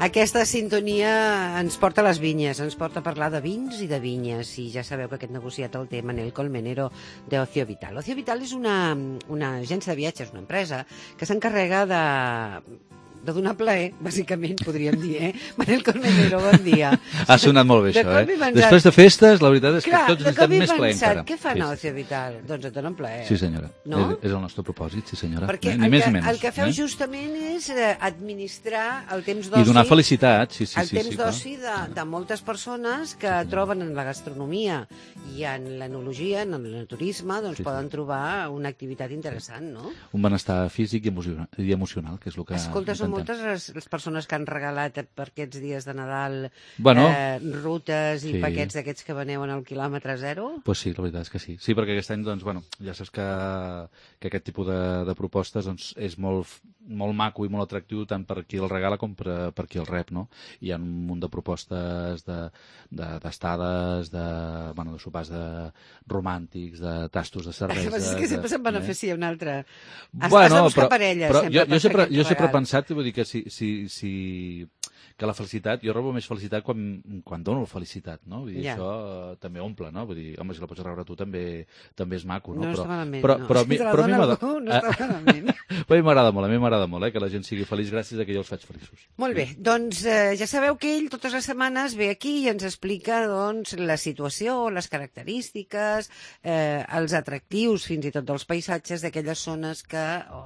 Aquesta sintonia ens porta a les vinyes, ens porta a parlar de vins i de vinyes, i ja sabeu que aquest negociat el té Manel Colmenero d'Ocio Vital. Ocio Vital és una agència de viatges, una empresa, que s'encarrega de donar plaer, bàsicament, podríem dir, Manel Colmenero, bon dia. Ha sonat molt bé, això, Després de festes, la veritat és que tots estem més plaer encara. Què fan a Ocio Vital? Doncs et donen plaer. Sí, senyora. No? És el nostre propòsit, sí, senyora. Perquè ni més ni menys. El que feu justament és administrar el temps d'oci... I donar felicitat, sí. El temps d'oci de moltes persones que troben en la gastronomia i en l'enologia, en el turisme, doncs poden trobar una activitat interessant, no? Un benestar físic i emocional, que és el que... Escolta, són moltes les persones que han regalat per aquests dies de Nadal rutes i paquets d'aquests que veneu en el quilòmetre zero? Pues sí, la veritat és que sí. Sí, perquè aquest any, doncs, ja saps que aquest tipus de propostes és molt maco i molt atractiu tant per qui el regala com per qui el rep, no? Hi ha un munt de propostes d'estades, de sopars romàntics, de tastos de cervesa... És que sempre se'n beneficia un altre. Has de buscar parella, sempre. Jo sempre he pensat, vull dir que que la felicitat, jo robo més felicitat quan dono felicitat, no? Vull dir, això també omple, no? Vull dir, home, si la pots rebre tu també és maco, no? No està malament, però si te la dona algú, no està malament. Però a mi m'agrada molt, que la gent sigui feliç gràcies a que jo els faig feliços. Molt bé, doncs ja sabeu que ell totes les setmanes ve aquí i ens explica la situació, les característiques, els atractius fins i tot dels paisatges d'aquelles zones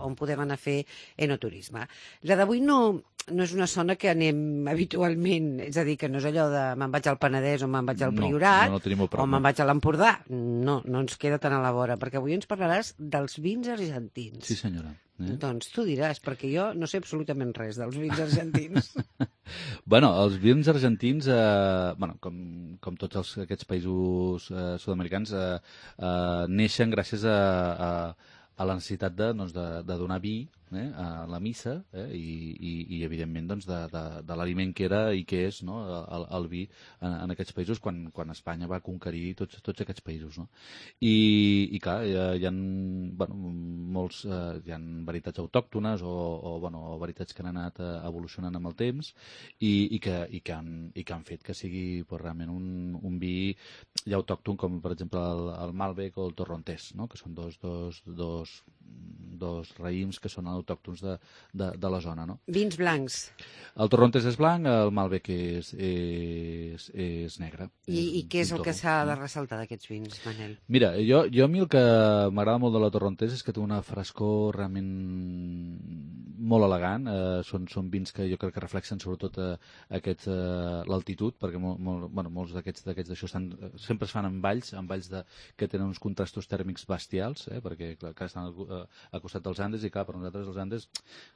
on podem anar a fer enoturisme. La d'avui no és una zona que anem habitualment, és a dir, que no és allò de me'n vaig al Penedès o me'n vaig al Priorat o me'n vaig a l'Empordà. No ens queda tan a la vora, perquè avui ens parlaràs dels vins argentins. Sí, senyora. Doncs tu diràs, perquè jo no sé absolutament res dels vins argentins. Els vins argentins, com tots aquests països sud-americans, neixen gràcies a la necessitat de donar vi a la missa i evidentment de l'aliment que era i que és el vi en aquests països quan Espanya va conquerir tots aquests països, no? I clar, hi ha molts hi ha varietats autòctones o varietats que han anat evolucionant amb el temps i que han fet que sigui realment un vi ja autòcton, com per exemple el Malbec o el Torrontés, no? Que són dos raïms que són autòctons de la zona, no? Vins blancs. El Torrontés és blanc, el Malbec és negre. I què és el que s'ha de ressaltar d'aquests vins, Manel? Mira, jo a mi el que m'agrada molt de la Torrontés és que té una frescor realment molt elegant. Són vins que jo crec que reflexen sobretot l'altitud, perquè molts d'aquests d'això sempre es fan en valls que tenen uns contrastos tèrmics bestials, perquè clar, estan al costat dels Andes i clar, per nosaltres els Andes,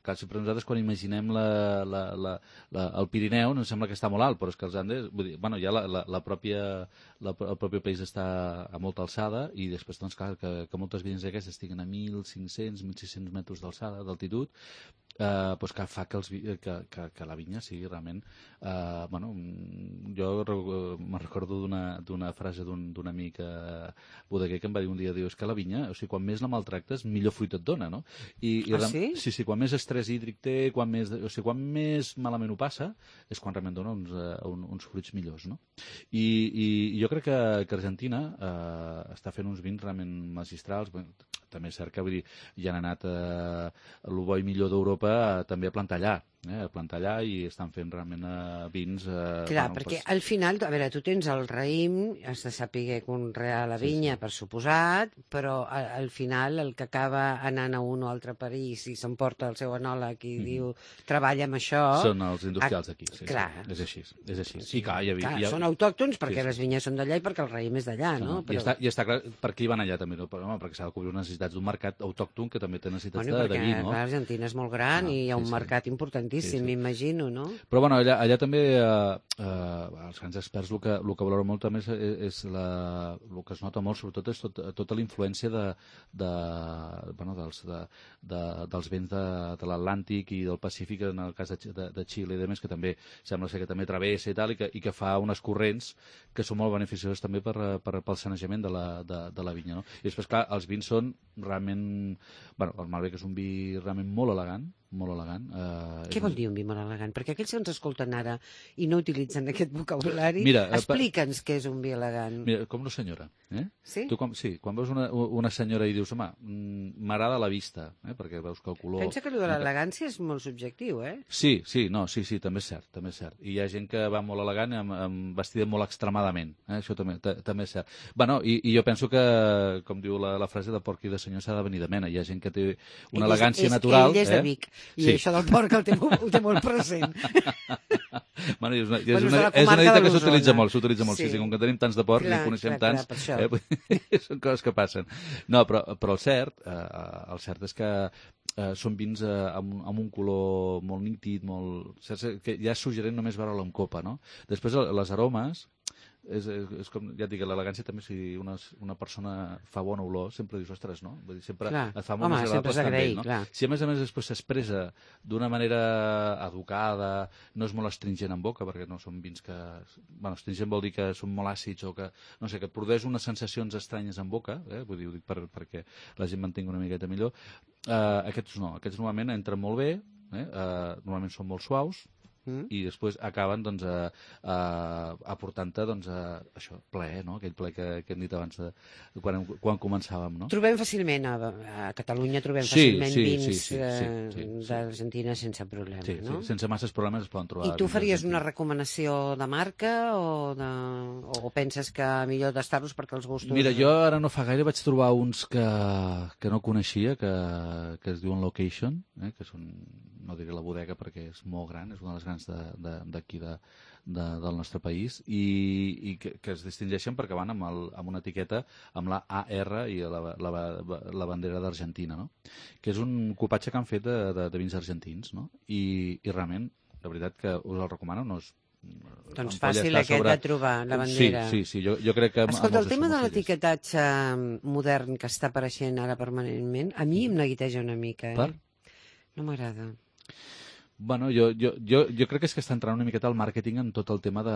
clar, sempre nosaltres quan imaginem el Pirineu ens sembla que està molt alt, però és que els Andes, vull dir, ja el propi país està a molta alçada i després, doncs, clar, que moltes vinyes aquestes estiguin a 1.500, 1.600 metres d'alçada, d'altitud, doncs que fa que la vinya sigui realment... Jo me'n recordo d'una frase d'un amic bodeguer que em va dir un dia, és que la vinya, o sigui, quan més la maltractes, millor fruit et dona, no? Sí? Sí, quan més estrès hídric té, quan més malament ho passa, és quan realment dona uns fruits millors, no? I jo crec que Argentina està fent uns vins realment magistrals. També és cert que hi han anat el bo i millor d'Europa també a plantar allà i estan fent realment vins... Clar, perquè al final, a veure, tu tens el raïm, has de saber conrear la vinya, per suposat, però al final el que acaba anant a un o altre país i s'emporta el seu enòleg i diu, treballa amb això... Són els industrials d'aquí, sí. Clar. És així. Sí, clar, són autòctons perquè les vinyes són d'allà i perquè el raïm és d'allà, no? I està clar per què hi van allà també, no? Perquè s'ha de cobrir unes necessitats d'un mercat autòcton que també té necessitats de vi, no? Perquè l'Argentina és molt gran i hi ha un mercat importantíssim, m'imagino, no? Però allà també els grans experts el que valoren molt també és el que es nota molt, sobretot és tota la influència dels vents de l'Atlàntic i del Pacífic, en el cas de Xile i demés, que també sembla ser que també travessa i tal, i que fa unes corrents que són molt beneficioses també pel sanejament de la vinya, no? I després, clar, els vins són realment... el Malbec és un vi realment molt elegant, molt elegant. Què vol dir un vi molt elegant? Perquè aquells que ens escolten ara i no utilitzen aquest vocabulari, Mira, explica'ns què és un vi elegant. Mira, com una senyora. Sí? Tu quan veus una senyora i dius, home, m'agrada la vista, perquè veus que el color... Pensa que allò de l'elegància és molt subjectiu, Sí, també és cert, també és cert. I hi ha gent que va molt elegant vestida molt extremadament, això també és cert. Bueno, i jo penso que, com diu la frase de porc i de senyor, s'ha de venir de mena. Hi ha gent que té una elegància natural. Ell és de Vic, i això del porc el té molt present. Bueno, és una dita que s'utilitza molt, sí, com que tenim tants de porc i en coneixem tants, són coses que passen. No, però el cert és que són vins amb un color molt nítid, que ja és suggerent només veure-lo en copa, no? Després, les aromes, és com, ja et dic, l'elegància també, si una persona fa bona olor, sempre dius, ostres, no? Vull dir, sempre et fa molt més agradable estar amb ell, no? Si a més després s'expressa d'una manera educada, no és molt astringent en boca, perquè no són vins que... Bueno, astringent vol dir que són molt àcids o que, no sé, que et produeix unes sensacions estranyes en boca, vull dir, ho dic perquè la gent m'entengui una miqueta millor. Aquests no, aquests normalment entren molt bé, normalment són molt suaus, i després acaben aportant-te això, plaer, no? Aquell plaer que hem dit abans quan començàvem, no? Trobem fàcilment a Catalunya fàcilment vins d'Argentina sense problema, no? Sí, sense masses problemes es poden trobar. I tu faries una recomanació de marca o penses que millor tastar-los perquè els gustos... Mira, jo ara no fa gaire vaig trobar uns que no coneixia, que es diuen Location, que són, no diré la bodega perquè és molt gran, és una de les grans d'aquí del nostre país, i que es distingeixen perquè van amb una etiqueta amb la AR i la bandera d'Argentina, no? Que és un copatge que han fet de vins argentins, no? I realment, la veritat que us el recomano, no és... Doncs fàcil aquest de trobar, la bandera. Sí, jo crec que... Escolta, el tema de l'etiquetatge modern que està apareixent ara permanentment, a mi em neguiteja una mica, Per? No m'agrada. Bueno, jo crec que és que està entrant una miqueta al màrqueting en tot el tema de...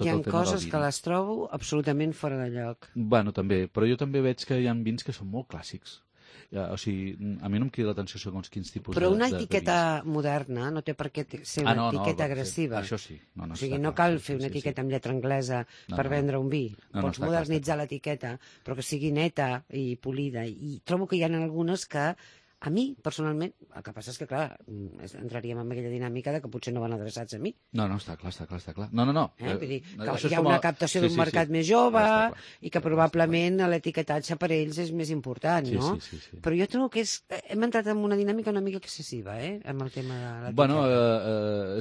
Hi ha coses que les trobo absolutament fora de lloc. Bueno, també, però jo també veig que hi ha vins que són molt clàssics. O sigui, a mi no em crida l'atenció segons quins tipus de vins. Però una etiqueta moderna no té per què ser una etiqueta agressiva. Això sí. O sigui, no cal fer una etiqueta amb lletra anglesa per vendre un vi. Pots modernitzar l'etiqueta, però que sigui neta i polida. I trobo que hi ha algunes que... A mi, personalment, el que passa és que, clar, entraríem en aquella dinàmica de que potser no van adreçats a mi. No, està clar. No. Vull dir, que hi ha una captació d'un mercat més jove i que probablement l'etiquetatge per ells és més important, no? Sí. Però jo trobo que hem entrat en una dinàmica una mica excessiva, amb el tema de l'etiqueta. Bueno,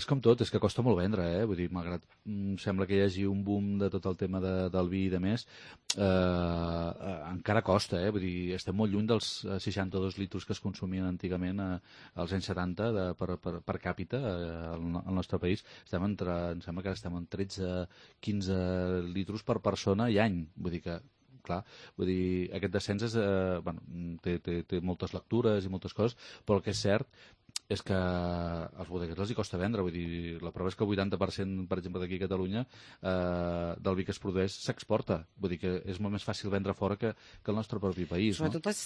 és com tot, és que costa molt vendre, Vull dir, malgrat sembla que hi hagi un boom de tot el tema del vi i de més, encara costa, Vull dir, estem molt lluny dels 62 litres que es consumien antigament als anys 70 per càpita al nostre país. Em sembla que ara estem en 13-15 litres per persona i any. Vull dir que, clar, aquest descens té moltes lectures i moltes coses, però el que és cert és que als bodeguers els hi costa vendre. Vull dir, la prova és que el 80%, per exemple, d'aquí a Catalunya, del vi que es produeix s'exporta. Vull dir que és molt més fàcil vendre fora que el nostre propi país. Sobretot als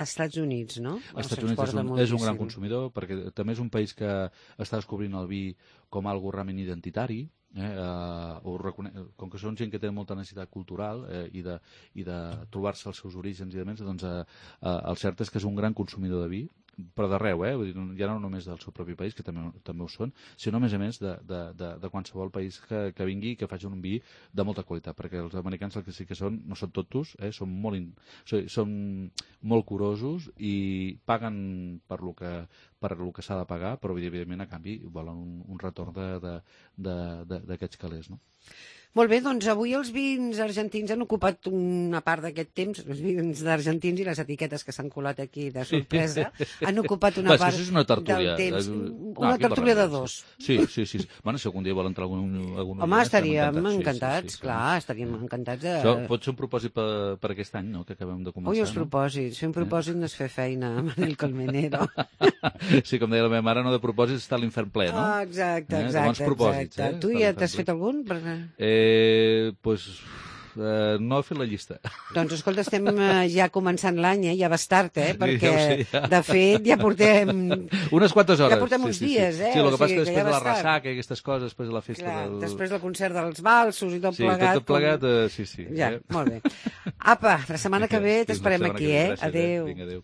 Estats Units, no? Els Estats Units és un gran consumidor, perquè també és un país que està descobrint el vi com algo realment identitari, com que són gent que té molta necessitat cultural i de trobar-se els seus orígens i demés, doncs el cert és que és un gran consumidor de vi, però d'arreu, vull dir, ja no només del seu propi país, que també ho són, sinó a més de qualsevol país que vingui i que faci un vi de molta qualitat, perquè els americans el que sí que són, no són tontos, són molt curosos i paguen per lo que s'ha de pagar, però evidentment a canvi volen un retorn d'aquests calés, no? Molt bé, doncs avui els vins argentins han ocupat una part d'aquest temps, els vins d'argentins i les etiquetes que s'han colat aquí de sorpresa, han ocupat una part del temps. Una tertúlia de dos. Sí. Bueno, si algun dia vol entrar algun... Home, estaríem encantats, clar, estaríem encantats de... Això pot ser un propòsit per aquest any, no?, que acabem de començar. Ui, els propòsits. Fer un propòsit no és fer feina, Manel Colmenero. Sí, com deia la meva mare, no de propòsits està a l'infern ple, no? Exacte. Bons propòsits, Tu ja t'has fet algun? Pues no he fet la llista. Doncs, escolta, estem ja començant l'any, ja vas tard, perquè, ja ho sé, ja. de fet, ja portem... Unes quantes hores. Ja portem uns dies, Sí, el que passa és que ja després de la vas tard. ressaca i aquestes coses, després de la festa Clar, del... després del concert dels valsos i tot plegat. Sí, tot plegat, sí. Ja, molt bé. Apa, la setmana que ve t'esperem aquí, Gràcies, Adéu. Vinga, adéu.